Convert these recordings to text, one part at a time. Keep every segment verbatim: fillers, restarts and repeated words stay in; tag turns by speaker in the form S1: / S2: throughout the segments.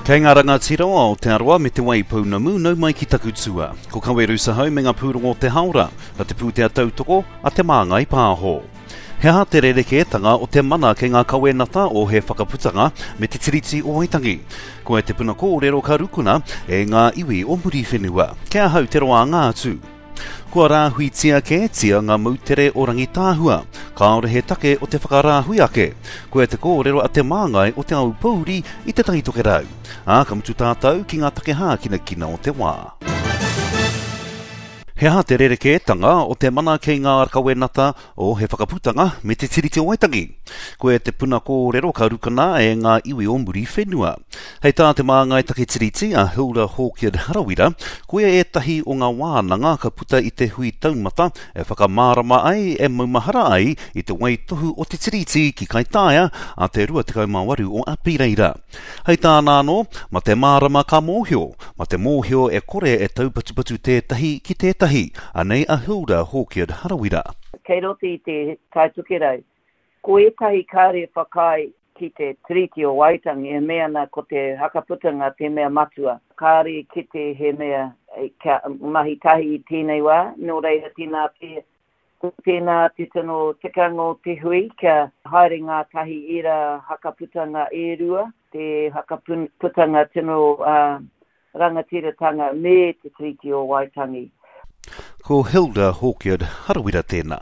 S1: Kei ngā rangatira o Aotearoa me Te Waipounamu nau mai ki taku tua. Ko Kaweru Sahau me ngā pūrongo o te haora, na te pūtea tautoko a Te Māngai Pāho. He aha te rerekētanga o te mana kei ngā kawenata o He Whakaputanga me Te Tiriti o Waitangi? Koe te puna kōrero ka rukuna e ngā iwi o Muriwhenua. Kei ahau te roanga atu. Kua rāhuitia kētia ngā moutere o Rangitāhua. Kāore he take o te whakarāhui ake. Koe te kōrero a te māngai o Te Aupōuri i Te Tai Tokerau. Ā, ka mutu tātou ki ngā take hākinakina o te wā. He aha te rerekētanga o te mana kei ngā kawenata o He Whakaputanga me Te Tiriti o Waitangi? Koe te puna kōrero ka rukana e ngā iwi o Muriwhenua. Hei tā te māngai take Tiriti a Hilda Hawkyard Harawira, koia ētahi o ngā wānanga ka puta i te hui taumata e whakamārama ai, e maumahara ai i te waitohu o te Tiriti ki Kaitaia a te rua tekau mā waru o Apireira. Hei tāna anō, ma te mārama ka mōhio, ma te mōhio e kore e taupatupatu tētahi ki tētahi. Anei a Hilda Hawkyard Harawira.
S2: Kei roto i te Tai Tokerau, ko ētahi kāre whakaae ki te Tiriti o Waitangi e mea ana ko te hakaputanga te mea matua. Kāre kite he mea kia mahi tahi i tēnei wā, nō reira tēnā te, tēnā te tino tikanga o te hui kia haere ngā tahi ērā hakaputanga e rua, te hakaputanga tino uh, rangatiratanga me te Tiriti o Waitangi.
S1: Ko Hilda Hawkyard Harawira tēnā.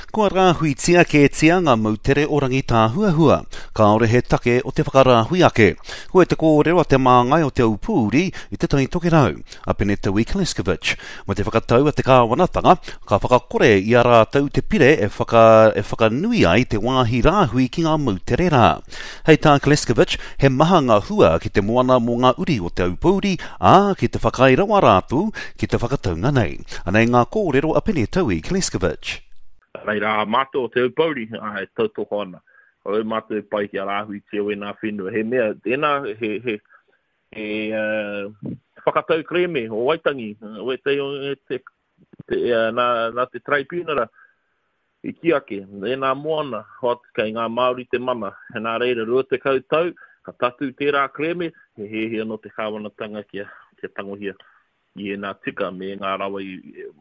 S1: Kua rāhuitia kētia ngā moutere o Rangitāhuahua. Kāore he take o te whakarāhui ake. Koe te kōrero a te māngai o Te Aupōuri i Te Tai Tokerau, a Penetaui Kleskovic. Mo te whakatau a te kāwanatanga, ka whakakore i a rātou te pire e, whaka, e whakanui ai te wāhi rāhui ki ngā moutere rā. Hei tā Kleskovic, he maha ngā hua ki te moana mō ngā uri o Te Aupōuri, ā, ki te whakaae rawa rātou ki te whakataunga nei. Anei ngā kōrero a Penetaui Kleskovic.
S3: Reira, a mātou o Te Aupōuri, e tautoko ana. Ko au mātou e pai ki a rāhuitia o ēnā whenua. He mea, tēnā, he, he, he uh, whakatau kerēme o Waitangi, o e te, te, te, nā, nā te tribunara i ki ake, ēnā moana, hot, kei ngā Māori te mana. He nā reira, rua tekau tau, ka tatū tērā kerēme, he hiahia nō te kāwanatanga kia, kia tangohia i ēnā tika me ngā rawa i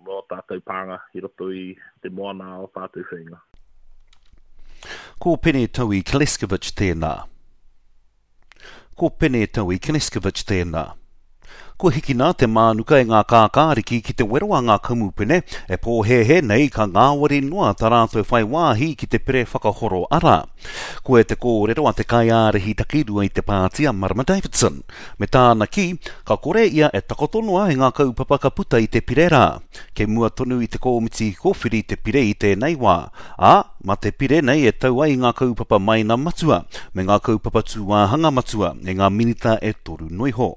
S3: mō tātou pānga i roto i te moana o tātou whenga.
S1: Ko Penetaui Kleskovic tēnā. Ko Penetaui Kleskovic tēnā. Kua hikina te mānuka e ngā kākāriki ki te wero a ngā kamupene e pōhēhē nei ka ngāwari noa tā rātou whai wāhi ki te pere whakahoro ara. Koe te kōrero a te kaiārahi takirua i te pāti a Marama Davidson. Me tāna ki, ka kore ia e takoto noa i ngā kaupapa ka puta i te pire rā. Kei mua tonu i te kōmiti kōwhiri te pire i tēnei wā. Ā, ma te pire nei e tau ai ngā kaupapa maina matua, me ngā kaupapa tūāhanga matua, e ngā minita e toru noiho.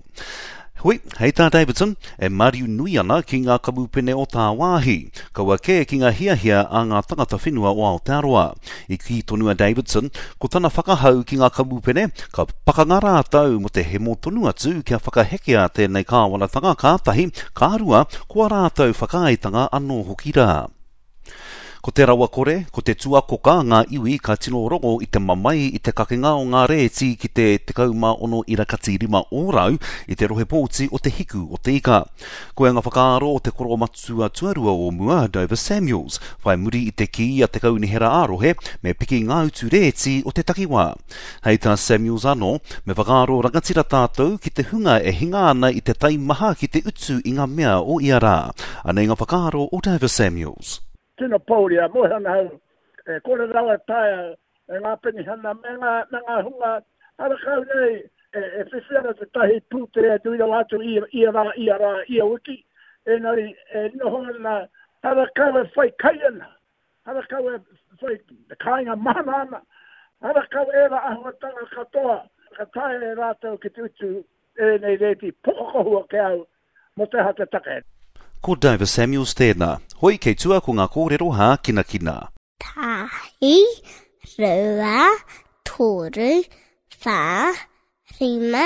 S1: Hui, hei tā Davidson, e mariu nui ana ki ngā kamupene o tāwāhi, kaua kē ki ngā hiahia a ngā tangata whenua o Aotearoa. I kī tonu a Davidson, ko tana whakahau ki ngā kamupene, ka pakanga rātou mo te hemo tonu atu kia whakahekea tēnei kāwanatanga kātahi, ka rua, ko a rātou whakaaetanga anō hoki rā. Ko te rawakore, ko te tuakoka ngā iwi ka tino rongo i te mamae i te kakenga o ngā rēti ki te tekau mā ono irakati rima ōrau i te rohe pōti o te hiku o te ika. Koe ngā whakaaro o te koromatua tuarua o mua, Dover Samuels, whai muri i te kī a te kaunihera ā-rohe me piki ngā utu rēti o te takiwā. Hei tā Samuels anō, me whakaaro rangatira tātou ki te hunga e hinga ana i te taimaha ki te utu i ngā mea o ia rā. Anei ngā whakaaro o Dover Samuels.
S4: Tino pōuri a moe ana hau, e kore rawa taea e ngā penihana me ngā, me ngā hunga harakau nei e, e whiwhi ana te tahi pūtea nui rawa atu ia, ia rā, ia rā, ia wiki, engari e noho ana harakau e whai kai ana, harakau e whai kāinga mahana ana, harakau e rā ahuatanga katoa, ka taea e rātou ki te utu ēnei rēti pokokohua ke au mō te aha te take.
S1: Ko Dover Samuels tēnā. Hoi kei tua ko ngā kōrero hākinakina.
S5: Tahi, rua, toru, whā, rima,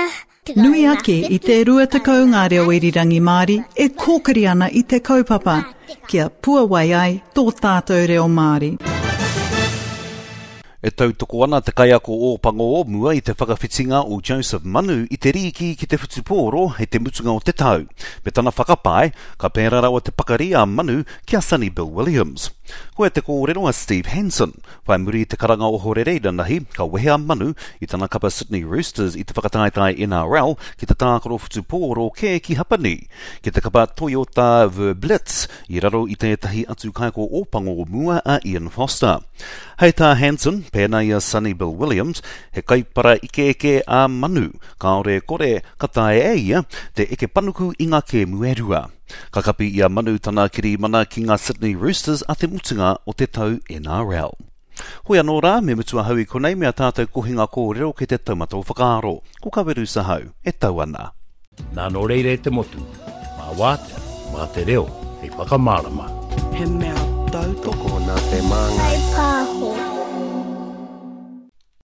S6: Nui ake i te rua tekau ngā reo irirangi Māori e kōkiri ana i te kaupapa, kia puawai ai tō tātou reo Māori.
S1: E tautoko ana te kaiako Ōpango o mua i te whakawhitinga o Joseph Manu i te rīki ki te whutupōro hei te mutunga o te tau. Me tana whakapae, ka pērā rawa te pakari a Manu ki a Sonny Bill Williams. Koia te kōrero a Steve Hansen. Whai muri i te karanga ohorere inanahi, ka wehe a Manu i tana kapa Sydney Roosters i te whakataetae N R L ki te tākaro whutupōro kē ki Hapani, ki te kapa Toyota Verblitz i raro i tētahi atu kaiako Ōpango o mua a Ian Foster. Hei tā Hansen, pēnā i a Sonny Bill Williams, he kaipara ikeike a Manu, kāore kore ka taea e ia te eke panuku i ngā kēmu e rua. Ka kapi i a Manu tana kirimana ki ngā Sydney Roosters a te mutunga o te tau N R L. Hoi anō rā, me mutu ahau i konei me a tātou kohinga kōrero ki te taumata o whakaaro. Ko Kaweru Sahau, e tau ana.
S7: Nā nō reira e te motu, mā wātea, mā te reo, hei whakamārama.
S8: He mea tautoko
S9: nā te māngai.
S5: Kai pāho.